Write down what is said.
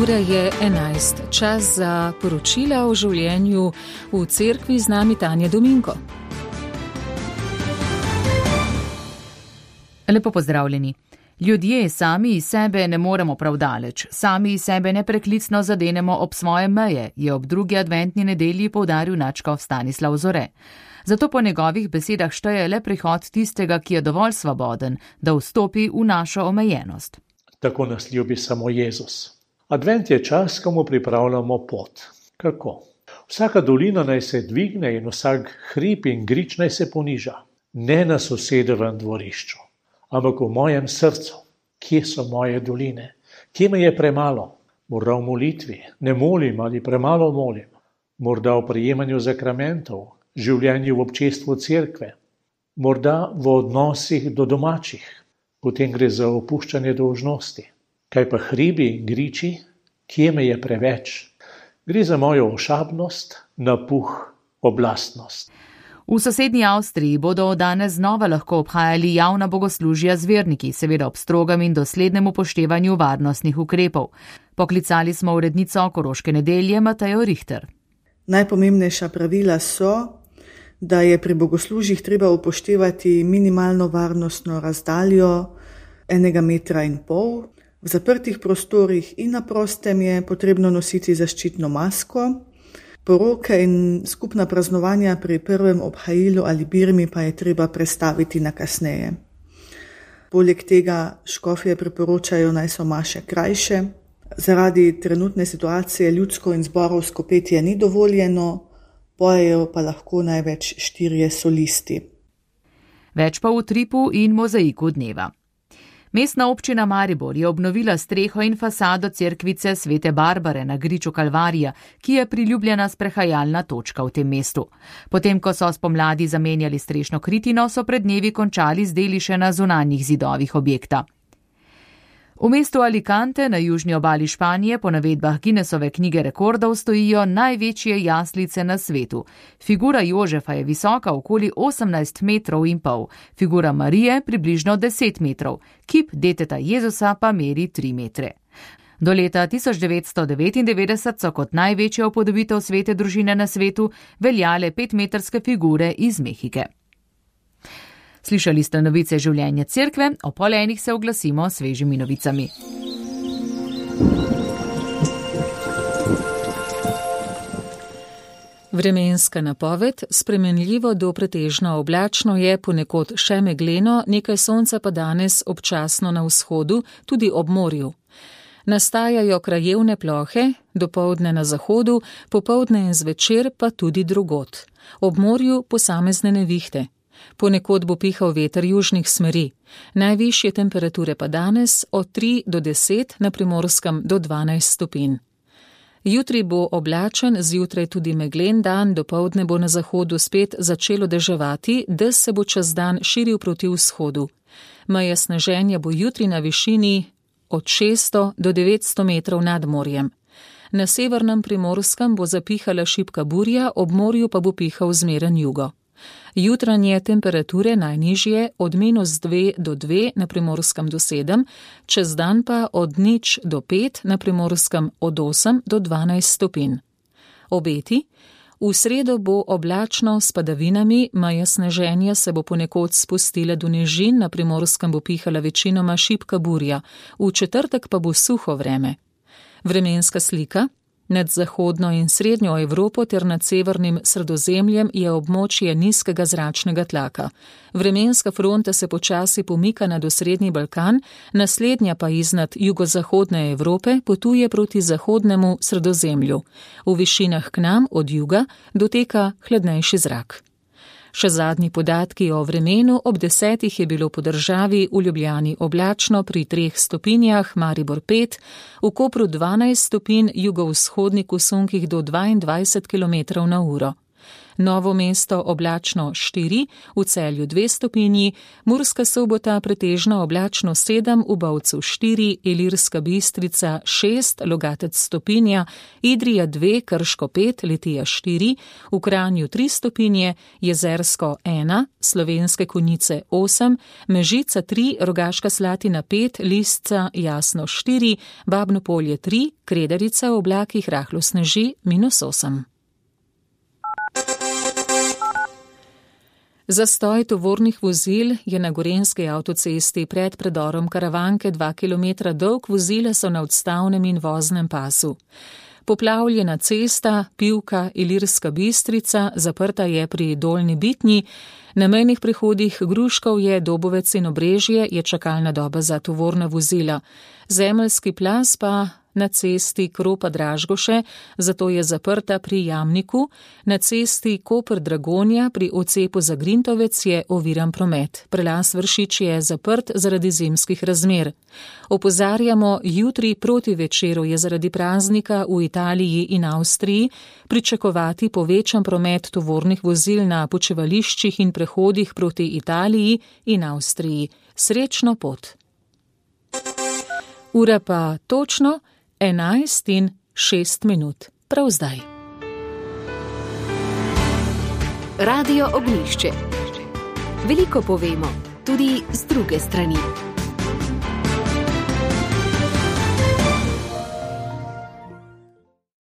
Ura je 11. Čas za poročila o življenju v cerkvi, z nami Tanja Dominko. Lepo pozdravljeni. Ljudje sami iz sebe ne moremo prav daleč, sami iz sebe nepreklicno zadenemo ob svoje meje, je ob drugi adventni nedelji poudaril nadškof Stanislav Zore. Zato po njegovih besedah šteje le prihod tistega, ki je dovolj svoboden, da vstopi v našo omejenost. Tako nas ljubi samo Jezus. Advent je čas, ko mu pripravljamo pot. Kako? Vsaka dolina naj se dvigne in vsak hrib in grič naj se poniža. Ne na sosedovem dvorišču, ampak v mojem srcu. Kje so moje doline? Kje me je premalo? Morda v molitvi, ne molim ali premalo molim. Morda v prejemanju zakramentov, življenju v občestvu cerkve. Morda v odnosih do domačih. Potem gre za opuščanje dolžnosti. Kaj pa hribi in griči? Kje me je preveč? Gre za mojo ošabnost, napuh, oblastnost. V sosednji Avstriji bodo danes znova lahko obhajali javna bogoslužja z verniki, seveda ob strogem in doslednem upoštevanju varnostnih ukrepov. Poklicali smo urednico Koroške nedelje Matejo Richter. Najpomembnejša pravila so, da je pri bogoslužjih treba upoštevati minimalno varnostno razdaljo 1,5 metra. V zaprtih prostorih in na prostem je potrebno nositi zaščitno masko. Poroke in skupna praznovanja pri prvem obhajilu ali birmi pa je treba prestaviti na kasneje. Poleg tega škofje priporočajo, naj so maše krajše. Zaradi trenutne situacije ljudsko in zborovsko petje ni dovoljeno, pojejo pa lahko največ 4 solisti. Več pa v utripu in mozaiku dneva. Mestna občina Maribor je obnovila streho in fasado cerkvice Svete Barbare na griču Kalvarija, ki je priljubljena sprehajalna točka v tem mestu. Potem, ko so spomladi zamenjali strešno kritino, so pred dnevi končali z deli še na zunanjih zidovih objekta. V mestu Alicante na južni obali Španije po navedbah Guinnessove knjige rekordov stojijo največje jaslice na svetu. Figura Jožefa je visoka okoli 18,5 metrov, figura Marije približno 10 metrov, kip deteta Jezusa pa meri 3 metre. Do leta 1999 so kot največja upodobitev svete družine na svetu veljale 5-metrske figure iz Mehike. Slišali ste novice življenja cerkve, o 12:30 se oglasimo s svežimi novicami. Vremenska napoved: spremenljivo do pretežno oblačno je, ponekod še megleno, nekaj sonca pa danes občasno na vzhodu, tudi ob morju. Nastajajo krajevne plohe, dopoldne na zahodu, popoldne in zvečer pa tudi drugod. Ob morju posamezne nevihte. Ponekod bo pihal veter južnih smeri. Najvišje temperature pa danes od 3 do 10, na Primorskem do 12 stopinj. Jutri bo oblačen, zjutraj tudi meglen dan, dopoldne bo na zahodu spet začelo deževati, dež se bo čez dan širil proti vzhodu. Meja sneženja bo jutri na višini od 600 do 900 metrov nad morjem. Na severnem Primorskem bo zapihala šibka burja, ob morju pa bo pihal zmeren jugo. Jutranje temperature najnižje od -2 do 2, na Primorskem do 7, čez dan pa od 0 do 5, na Primorskem od 8 do 12 stopinj. Obeti: v sredo bo oblačno s padavinami, meja sneženja se bo ponekod spustila do nižin, na Primorskem bo pihala večinoma šibka burja, v četrtek pa bo suho vreme. Vremenska slika: nad zahodno in srednjo Evropo ter nad severnim Sredozemljem je območje nizkega zračnega tlaka. Vremenska fronta se počasi pomika nad osrednji Balkan, naslednja pa iznad jugozahodne Evrope potuje proti zahodnemu Sredozemlju. V višinah k nam od juga doteka hladnejši zrak. Še zadnji podatki o vremenu: ob 10 je bilo po državi v Ljubljani oblačno pri 3 stopinjah, Maribor 5, v Kopru 12 stopinj, jugovzhodnik v sunkih do 22 km/h. Novo Mesto oblačno 4, v Celju 2 stopinji, Murska Sobota pretežno oblačno 7, v Bovcu 4, Ilirska Bistrica 6, Logatec stopinja, Idrija 2, Krško 5, Litija 4, v Kranju 3 stopinje, Jezersko 1, Slovenske Konjice 8, Mežica 3, Rogaška Slatina 5, Lisca Jasno 4, Babno Polje 3, Kredarica v oblakih rahlo sneži -8. Zastoj tovornih vozil je na gorenjski avtocesti pred predorom Karavanke 2 km dolg, vozila so na odstavnem in voznem pasu. Poplavljena cesta Pivka Ilirska Bistrica zaprta je pri Dolnji Bitnji, na mejnih prehodih Gruškovje, Dobovec in Obrežje je čakalna doba za tovorna vozila. Zemeljski plaz pa na cesti Kropa-Dražgoše, zato je zaprta pri Jamniku, na cesti Koper-Dragonja pri odcepu za Grintovec je oviran promet. Prelaz Vršič je zaprt zaradi zimskih razmer. Opozarjamo, jutri proti večeru je zaradi praznika v Italiji in Avstriji pričakovati povečan promet tovornih vozil na počivališčih in prehodih proti Italiji in Avstriji. Srečno pot! Ura pa točno 11:06, prav zdaj. Radio Ognjišče. Veliko povemo, tudi z druge strani.